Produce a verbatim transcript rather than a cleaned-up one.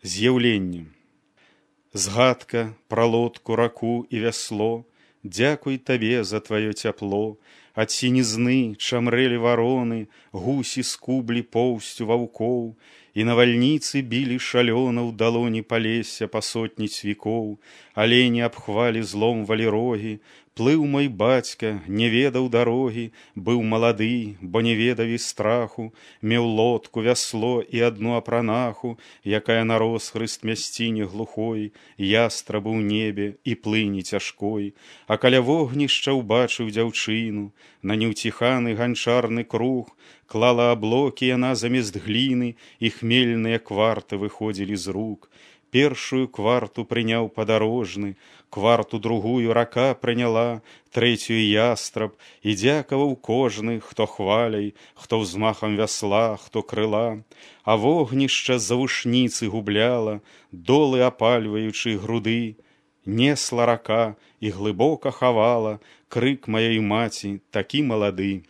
З'яўленне. Згадка пра лодку, раку і вясло, дзякуй табе за тваё цяпло. Ад сінізны чамрэлі вароны, гусі скублі поўсцю ваўкоў, і навальніцы білі шалёна ў далоні палесся па сотні цвікоў, алені абхвалі зломвалі рогі. Плыў мой бацька, не ведаў дарогі, быў малады, бо не ведаў і страху, меў лодку, вясло і адну апранаху, якая на росхрыст мясціне глухой, ястрабу ў небе і плыні цяжкой. А каля вогнішча ўбачыў дзяўчыну, на неўціханы ганчарны круг, клала аблокі яна замест гліны, і хмельныя кварты выходзілі з рук. Першую кварту прыняў падарожны, кварту другую рака прыняла, трэцюю ястраб, і дзякаваў кожны, хто хваляй, хто ўзмахам вясла, хто крыла. А вогнішча з завушніцы губляла, долы апальваючы груды. Несла рака і глыбока хавала крык маёй маці, такі малады.